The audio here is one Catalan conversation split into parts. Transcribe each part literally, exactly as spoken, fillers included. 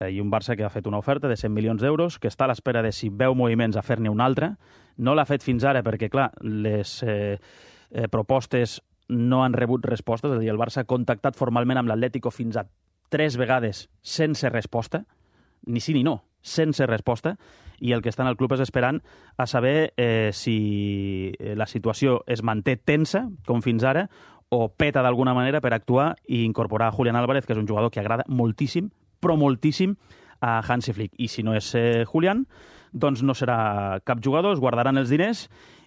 i un Barça que ha fet una oferta de cent milions d'euros, que està a l'espera de si veu moviments a fer-ne un altre. No l'ha fet fins ara perquè, clar, les eh, eh, propostes no han rebut respostes, és a dir, el Barça ha contactat formalment amb l'Atlético fins a tres vegades sense resposta, ni sí ni no, sense resposta, i el que està en el club és esperant a saber eh, si la situació es manté tensa, com fins ara, o peta d'alguna manera per actuar i incorporar a Julián Álvarez, que és un jugador que agrada moltíssim, però moltíssim, a Hansi Flick. I si no és eh, Julián, doncs no serà cap jugador, es guardaran els diners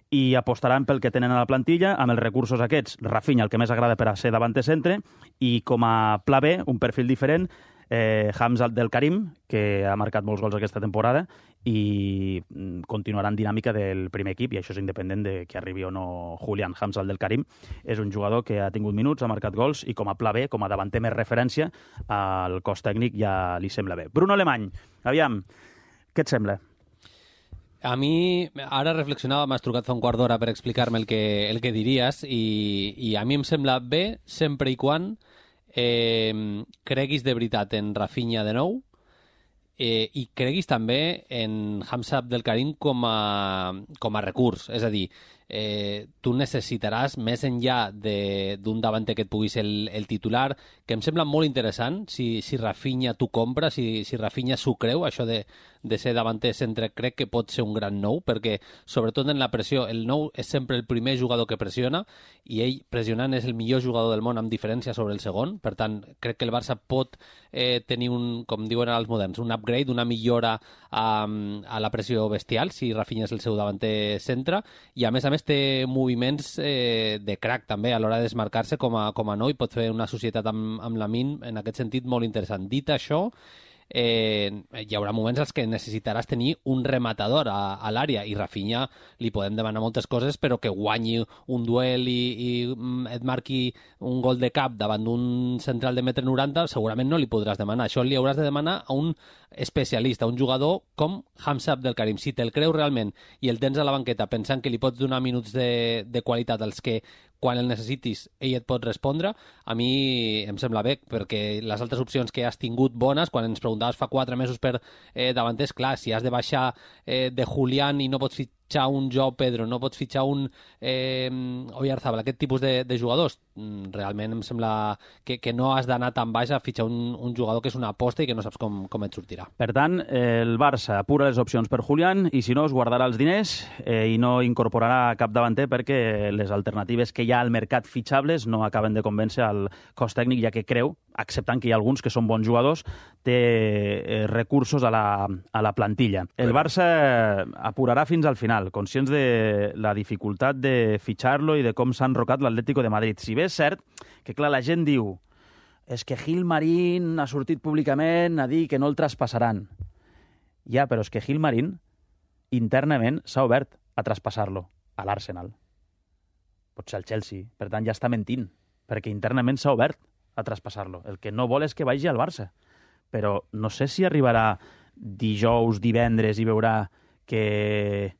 i apostaran pel que tenen a la plantilla amb els recursos aquests. Rafinha, el que més agrada per a ser davanter centre, i com a pla B, un perfil diferent, eh, Hamza del Karim, que ha marcat molts gols aquesta temporada i continuarà en dinàmica del primer equip, i això és independent de que arribi o no Julián. Hamza del Karim és un jugador que ha tingut minuts, ha marcat gols, i com a pla B, com a davanter més referència, al cos tècnic ja li sembla bé. Bruno Alemany, aviam, què et sembla? A mi, ara reflexionava, m'has trucat fa un quart d'hora per explicar-me el que, el que diries, i, i a mi em sembla bé sempre i quan eh, creguis de veritat en Rafinha de nou, eh, i creguis també en Hamza Abdel Karim com a, com a recurs. És a dir, eh, tu necessitaràs, més enllà d'un davanter que et pugui ser el, el titular, que em sembla molt interessant, si, si Rafinha t'ho compra, si, si Rafinha s'ho creu, això de, de ser davanter centre, crec que pot ser un gran nou, perquè sobretot en la pressió, el nou és sempre el primer jugador que pressiona, i ell pressionant és el millor jugador del món amb diferència sobre el segon. Per tant, crec que el Barça pot eh, tenir un, com diuen els moderns, un upgrade, una millora a, a la pressió bestial, si Rafinha és el seu davanter centre, i a més a més té moviments eh, de crack també a l'hora de desmarcar-se com a, com a nou, i pot fer una societat amb, amb la Min en aquest sentit molt interessant. Dit això, eh, hi haurà moments als que necessitaràs tenir un rematador a, a l'àrea, i Rafinha li podem demanar moltes coses, però que guanyi un duel i, i et marqui un gol de cap davant d'un central de metre noranta, segurament no li podràs demanar. Això li hauràs de demanar a un especialista, un jugador com Hamza Abdel Karim. Si te'l creus realment i el tens a la banqueta pensant que li pots donar minuts de, de qualitat als que quan el necessitis ell et pot respondre, a mi em sembla bé, perquè les altres opcions que has tingut bones, quan ens preguntaves fa quatre mesos per eh, davanters, clar, si has de baixar eh, de Julián i no pots fitxar un Joao Pedro, no pots fitxar un eh, Oyarzabal, aquest tipus de, de jugadors, realment em sembla que, que no has d'anar tan baix a fitxar un, un jugador que és una aposta i que no saps com, com et sortirà. Per tant, el Barça apura les opcions per Julián, i si no, es guardarà els diners eh, i no incorporarà cap davanter, perquè les alternatives que hi ha al mercat fitxables no acaben de convèncer al cos tècnic, ja que creu, acceptant que hi ha alguns que són bons jugadors, té eh, recursos a la, a la plantilla. El Barça apurarà fins al final, conscients de la dificultat de fitxar-lo i de com s'ha enrocat l'Atlético de Madrid. Si bé és cert que, clar, la gent diu és que Gil Marín ha sortit públicament a dir que no el traspassaran. Ja, però és que Gil Marín internament s'ha obert a traspassar-lo a l'Arsenal. Pot ser al Chelsea. Per tant, ja està mentint, perquè internament s'ha obert a traspassar-lo. El que no vol és que vagi al Barça. Però no sé si arribarà dijous, divendres, i veurà que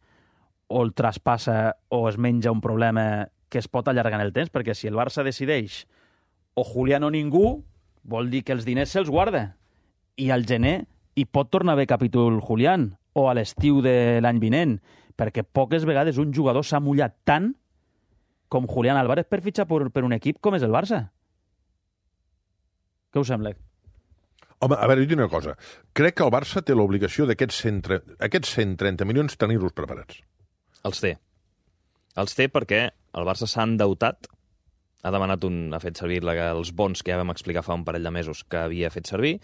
o el traspassa o es menja un problema que es pot allargar en el temps, perquè si el Barça decideix o Julián o ningú, vol dir que els diners se'ls guarda. I al gener hi pot tornar a haver capítol Julián, o a l'estiu de l'any vinent, perquè poques vegades un jugador s'ha mullat tant com Julián Álvarez per fitxar per, per un equip com és el Barça. Què us sembla? Home, a veure, jo dic una cosa. Crec que el Barça té l'obligació d'aquests cent trenta milions tenir-los preparats. Els té. Els té perquè el Barça s'ha endeutat, ha demanat un, ha fet servir la, els bons que ja vam explicar fa un parell de mesos que havia fet servir,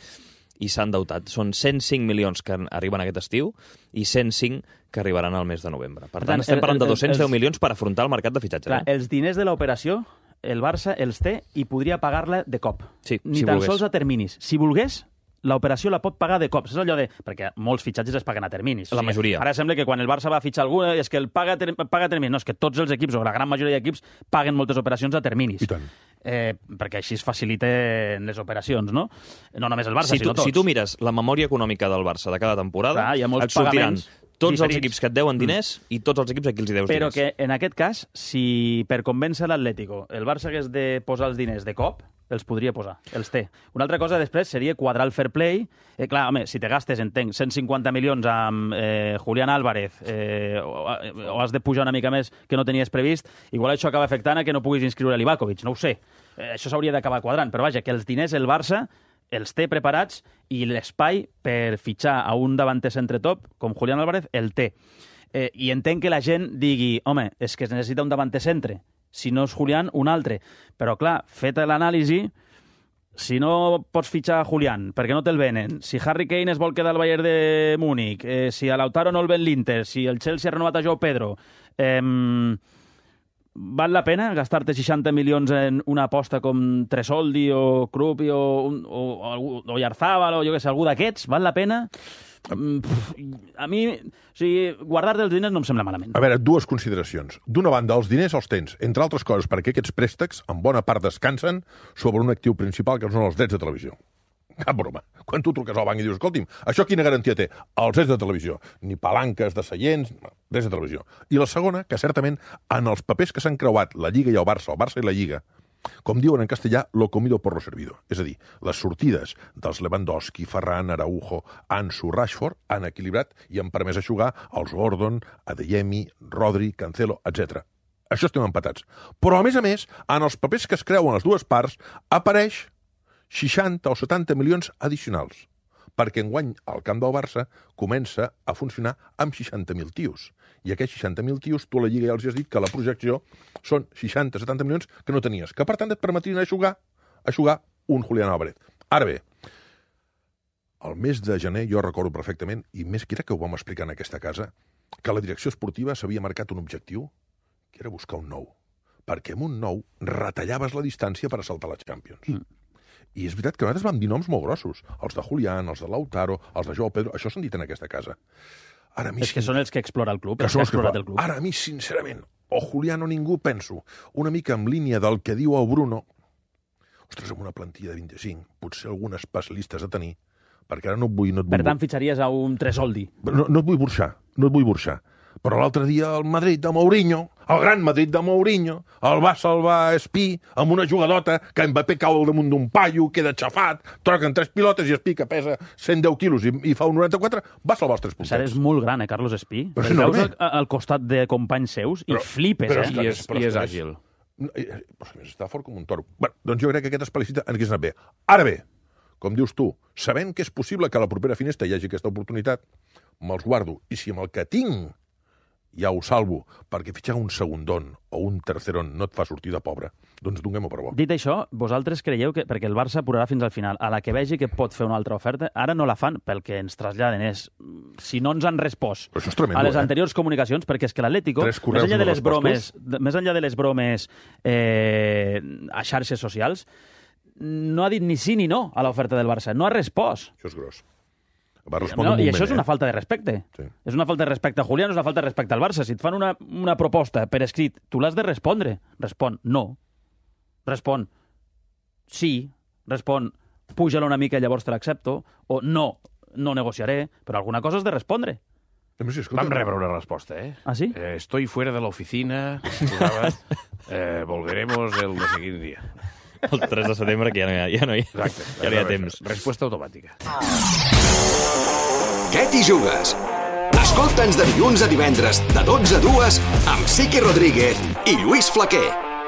i s'ha endeutat. Són cent cinc milions que arriben aquest estiu i cent cinc que arribaran al mes de novembre. Per, per tant, tant, estem parlant de dos-cents deu milions per afrontar el mercat de fitxatge. Clar, eh? Els diners de l'operació, el Barça els té i podria pagar-la de cop. Sí, Ni si tan volgués. sols a terminis. Si volgués, l'operació la pot pagar de cop. És allò de... Perquè molts fitxatges es paguen a terminis. La majoria. Ara sembla que quan el Barça va fitxar algú és que el paga, ter... paga a terminis. No, és que tots els equips, o la gran majoria d'equips, paguen moltes operacions a terminis. I tant. Eh, perquè així es faciliten les operacions, no? No només el Barça, si tu, sinó tots. Si tu mires la memòria econòmica del Barça de cada temporada, Clar, hi ha molts et sortiran pagaments tots diferits. els equips que et deuen diners mm. i tots els equips a qui els hi deus Però diners. que en aquest cas, si per convèncer l'Atlético el Barça hagués de posar els diners de cop, els podria posar, els té. Una altra cosa després seria quadrar el fair play. Eh, clar, home, si te gastes, entenc, cent cinquanta milions amb eh, Julián Álvarez eh, o, o has de pujar una mica més que no tenies previst, igual això acaba afectant a que no puguis inscriure l'Ivakovic, no ho sé. Eh, això s'hauria d'acabar quadrant, però vaja, que els diners el Barça els té preparats i l'espai per fitxar a un davanter centre top com Julián Álvarez el té. Eh, I entenc que la gent digui, home, és que es necessita un davanter centre. Si no és Julián, un altre. Però, clar, feta l'anàlisi, si no pots fitxar a Julián, perquè no te'l venen, si Harry Kane es vol quedar al Bayern de Múnich, eh, si a Lautaro no el ven l'Inter, si el Chelsea ha renovat a Joao Pedro, eh, val la pena gastar-te seixanta milions en una aposta com Tresoldi o Krupi o, o, o, o Yarzábal o jo què sé, algú d'aquests? Val la pena? A mi, o sigui, guardar-te els diners no em sembla malament. A veure, dues consideracions. D'una banda, els diners els tens, entre altres coses, perquè aquests préstecs, en bona part, descansen sobre un actiu principal, que són els drets de televisió. Cap broma. Quan tu truques al banc i dius, escolti'm, això quina garantia té? Els drets de televisió. Ni palanques de seients, drets de televisió. I la segona, que certament, en els papers que s'han creuat la Lliga i el Barça, el Barça i la Lliga, com diuen en castellà, lo comido por lo servido. És a dir, les sortides dels Lewandowski, Ferran, Araujo, Ansu, Rashford han equilibrat i han permès jugar als Gordon, Adeyemi, Rodri, Cancelo, etcètera. Això estem empatats. Però, a més a més, en els papers que es creuen les dues parts, apareix seixanta o setanta milions addicionals, perquè enguany el camp del Barça comença a funcionar amb seixanta mil tios. I aquests seixanta mil tios, tu a la Lliga ja els has dit que la projecció són seixanta o setanta milions que no tenies, que per tant et permetrien a jugar, a jugar un Julián Álvarez. Ara bé, el mes de gener jo recordo perfectament, i més que era que ho vam explicar en aquesta casa, que la direcció esportiva s'havia marcat un objectiu, que era buscar un nou. Perquè amb un nou retallaves la distància per assaltar la Champions. Mm. I és veritat que nosaltres vam dir noms molt grossos. Els de Julián, els de Lautaro, els de Joao Pedro, això s'han dit en aquesta casa. Ara, a mi, és que són els que explora el club. Que els que que explorat el club. Ara, a mi, sincerament, o Julián o ningú, penso, una mica en línia del que diu el Bruno, ostres, amb una plantilla de vint-i-cinc, potser algunes especialistes a tenir, perquè ara no et vull... No et vull... Per tant, fitxaries a un Tresoldi. No, no et vull burxar, no et vull burxar. Però l'altre dia el Madrid de Mourinho, el gran Madrid de Mourinho, el va salvar Espí amb una jugadota que Mbappé cau al damunt d'un paio, queda xafat, troquen tres pilotes i Espí, que pesa cent deu quilos i, i fa un noranta-quatre, va salvar els tres puntets. Ara és molt gran, eh, Carlos Espí? Però el veus al, al costat de companys seus i però, flipes, però, eh? Però, I és, però, i és però, àgil. Però és està fort com un toro. Bé, doncs jo crec que aquesta explicita ens hagués anat bé. Ara bé, com dius tu, sabent que és possible que a la propera finestra hi hagi aquesta oportunitat, me'ls guardo. I si amb el que tinc ja ho salvo, perquè fitxar un segundon o un terceron no et fa sortir de pobre, doncs donem-ho per bo. Dit això, vosaltres creieu que, perquè el Barça apurarà fins al final, a la que vegi que pot fer una altra oferta, ara no la fan pel que ens traslladen, és si no ens han respost Però això és tremendo, a les eh? anteriors comunicacions, perquè és que l'Atlético, Tres més correus enllà de no les bromes, respostos. de- més enllà de les bromes eh, a xarxes socials, no ha dit ni sí ni no a l'oferta del Barça, no ha respost. Això és gros. Va respondre No, un I moment, això és una eh? falta de respecte. Sí. És una falta de respecte a Julián, és una falta de respecte al Barça. Si et fan una, una proposta per escrit, tu l'has de respondre. Respon no. Respon sí. Respon puja-la una mica i llavors te l'accepto. O no, no negociaré. Però alguna cosa has de respondre. Hem sí, escolta, Vam rebre una resposta, eh? Ah, sí? Eh, estoy fuera de la oficina. Posava, eh, volveremos el no sé quin dia. El tres de setembre, que ja no hi ha, ja no hi, Exacte. ja no hi ha temps. Resposta automàtica. Què t'hi jugues? Escolta'ns de dilluns a divendres, de dotze a dues, amb Siqui Rodríguez i Lluís Flaquer.